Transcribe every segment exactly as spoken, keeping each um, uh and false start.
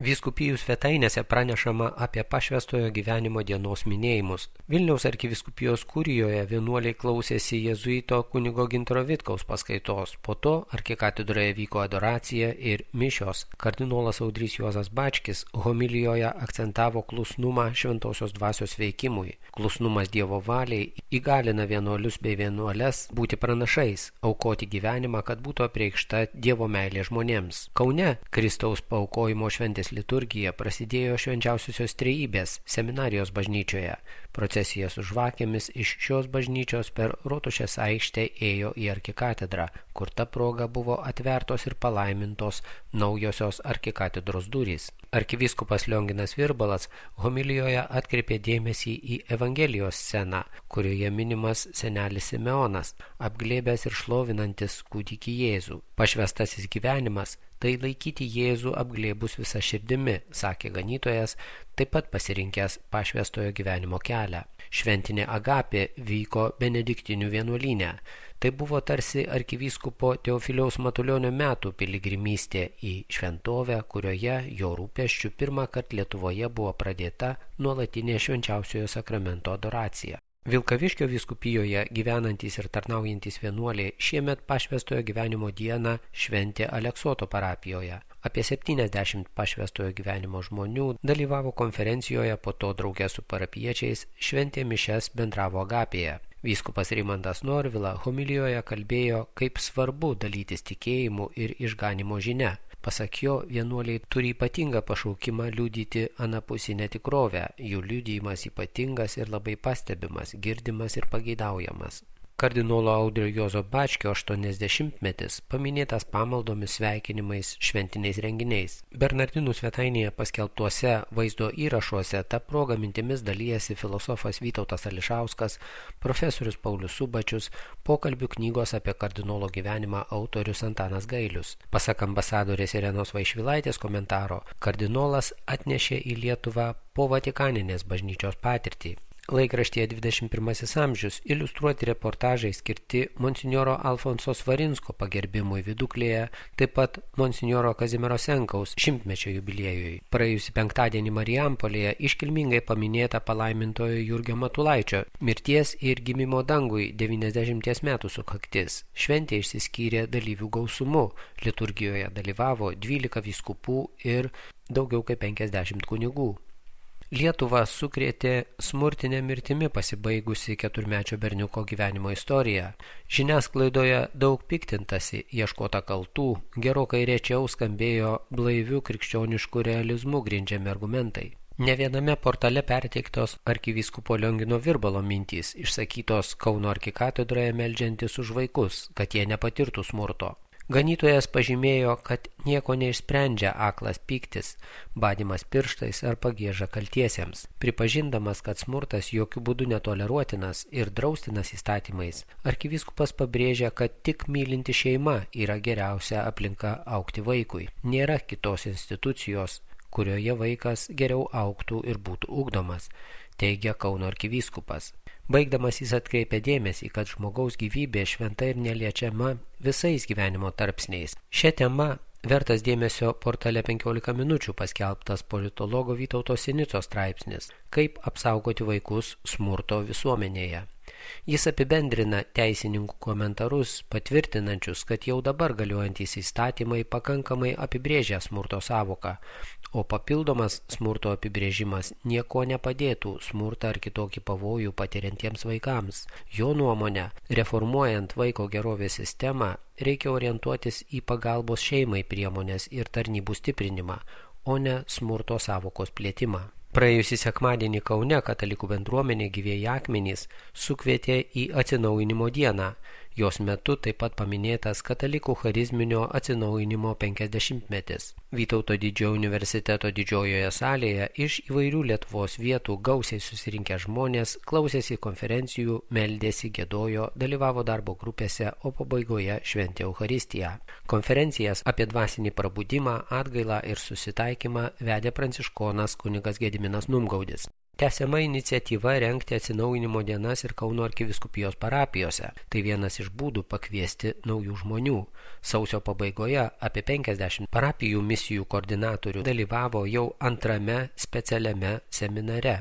Vyskupijų svetainėse pranešama apie pašvęstojo gyvenimo dienos minėjimus. Vilniaus arkivyskupijos kurijoje vienuoliai klausėsi jėzuito kunigo Gintaro Vitkaus paskaitos. Po to arkikatedroje vyko adoracija ir mišios. Kardinolas Audrys Juozas Bačkis homilijoje akcentavo klusnumą šventosios dvasios veikimui. Klusnumas Dievo valiai įgalina vienuolius bei vienuoles būti pranašais, aukoti gyvenimą, kad būtų apreikšta Dievo meilė žmonėms. Kaune Kristaus paaukojimo šventės liturgija prasidėjo švenčiausiosios trejybės seminarijos bažnyčioje. Procesija su žvakėmis iš šios bažnyčios per Rotušės aikštę ėjo į arkikatedrą, kur ta proga buvo atvertos ir palaimintos naujosios arkikatedros durys. Arkivyskupas Lionginas Virbalas homilijoje atkreipė dėmesį į Evangelijos sceną, kurioje minimas senelis Simeonas, apglėbęs ir šlovinantis kūdikį Jėzų. Pašvęstasis gyvenimas – tai laikyti Jėzų apglėbus visą širdimi, sakė ganytojas, taip pat pasirinkęs pašvęstojo gyvenimo kelią. Šventinė agapė vyko Benediktinių vienuolyne. Tai buvo tarsi arkivyskupo Teofiliaus Matulionio metų piligrimystė į šventovę, kurioje jo rūpesčių pirmą kartą Lietuvoje buvo pradėta nuolatinė švenčiausiojo sakramento adoracija. Vilkaviškio vyskupijoje gyvenantys ir tarnaujantys vienuoliai šiemet pašvęstojo gyvenimo dieną šventė Aleksoto parapijoje. Apie septyniasdešimt pašvęstojo gyvenimo žmonių dalyvavo konferencijoje, po to drauge su parapiečiais šventė mišias, bendravo agapėje. Vyskupas Rimantas Norvila homilijoje kalbėjo, kaip svarbu dalytis tikėjimu ir išganimo žinia. Pasak jo, vienuoliai turi ypatingą pašaukimą liudyti anapusinę tikrovę, jų liudijimas ypatingas ir labai pastebimas, girdimas ir pageidaujamas. Kardinolo Audrio Juozo Bačkio aštuoniasdešimtmetis paminėtas pamaldomis, sveikinimais, šventiniais renginiais. Bernardinų svetainėje paskelbtuose vaizdo įrašuose ta proga mintimis dalyjasi filosofas Vytautas Ališauskas, profesorius Paulius Subačius, pokalbių knygos apie kardinolo gyvenimą autorius Antanas Gailius. Pasak ambasadorės Irenos Vaišvilaitės komentaro, kardinolas atnešė į Lietuvą po Vatikaninės bažnyčios patirtį. Laikraštyje dvidešimt pirmasis amžius iliustruoti reportažai skirti monsinjoro Alfonso Svarinsko pagerbimui Viduklėje, taip pat monsinjoro Kazimiero Senkaus šimtmečio jubiliejui. Praėjusį penktadienį Marijampolėje iškilmingai paminėta palaimintojo Jurgio Matulaičio mirties ir gimimo dangui devyniasdešimties metų sukaktis. Šventė išsiskyrė dalyvių gausumu. Liturgijoje dalyvavo dvylika vyskupų ir daugiau kaip penkiasdešimt kunigų. Lietuvą sukrėtė smurtinė mirtimi pasibaigusi keturmečio berniuko gyvenimo istorija. Žiniasklaidoje daug piktintasi, ieškota kaltų, gerokai rečiau skambėjo blaivių krikščioniškų realizmų grindžiami argumentai. Ne viename portale perteiktos arkivyskupo Liongino Virbalo mintys, išsakytos Kauno arkikatedroje meldžiantis už vaikus, kad jie nepatirtų smurto. Ganytojas pažymėjo, kad nieko neišsprendžia aklas pyktis, badymas pirštais ar pagieža kaltiesiems. Pripažindamas, kad smurtas jokių būdų netoleruotinas ir draustinas įstatymais, arkivyskupas pabrėžia, kad tik mylinti šeima yra geriausia aplinka augti vaikui. Nėra kitos institucijos, kurioje vaikas geriau augtų ir būtų ugdomas, teigia Kauno arkivyskupas. Baigdamas jis atkreipia dėmesį, kad žmogaus gyvybė šventa ir neliečiama visais gyvenimo tarpsniais. Šią temą vertas dėmesio portale penkiolika minučių paskelbtas politologo Vytauto Sinicos straipsnis "Kaip apsaugoti vaikus smurto visuomenėje". Jis apibendrina teisininkų komentarus, patvirtinančius, kad jau dabar galiuojantys įstatymai pakankamai apibrėžia smurto sąvoką, o papildomas smurto apibrėžimas nieko nepadėtų smurtą ar kitokį pavojų patiriantiems vaikams. Jo nuomonė, reformuojant vaiko gerovės sistemą, reikia orientuotis į pagalbos šeimai priemonės ir tarnybų stiprinimą, o ne smurto sąvokos plėtimą. Praėjusį sekmadienį Kaune katalikų bendruomenė Gyvieji akmenys sukvietė į atsinaujinimo dieną. Jos metu taip pat paminėtas katalikų charizminio atsinaujinimo penkiasdešimtmetis. Vytauto didžiojo universiteto didžiojoje salėje iš įvairių Lietuvos vietų gausiai susirinkę žmonės klausėsi konferencijų, meldėsi, giedojo, dalyvavo darbo grupėse, o pabaigoje šventė Eucharistiją. Konferencijas apie dvasinį prabudimą, atgailą ir susitaikymą vedė pranciškonas kunigas Gediminas Numgaudis. Tęsiama iniciatyva rengti atsinaujinimo dienas ir Kauno arkivyskupijos parapijose. Tai vienas iš būdų pakviesti naujų žmonių. Sausio pabaigoje apie penkiasdešimt parapijų misijų koordinatorių dalyvavo jau antrame specialiame seminare.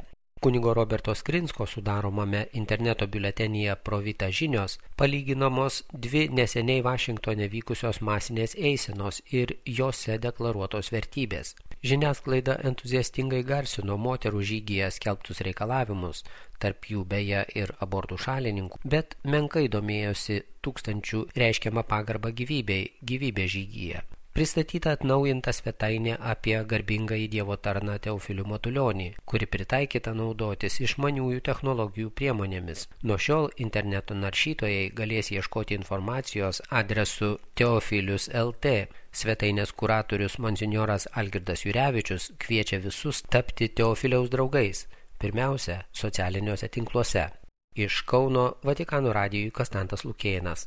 Kunigo Roberto Skrinsko sudaromame interneto biuletenyje Provita žinios palyginamos dvi neseniai Vašingtone vykusios masinės eisenos ir jose deklaruotos vertybės. Žiniasklaida entuziastingai garsino moterų žygyje skelbtus reikalavimus, tarp jų beje ir abortų šalininkų, bet menkai domėjosi tūkstančių reiškiamą pagarbą gyvybei, gyvybė žygyje. Pristatyta atnaujinta svetainė apie garbingąjį Dievo tarną Teofilių Matulionį, kuri pritaikyta naudotis išmaniųjų technologijų priemonėmis. Nuo šiol interneto naršytojai galės ieškoti informacijos adresu teofilius taškas el tė. Svetainės kuratorius monsinjoras Algirdas Jurevičius kviečia visus tapti Teofiliaus draugais, pirmiausia, socialiniuose tinkluose. Iš Kauno Vatikano radijui Konstantas Lukėnas.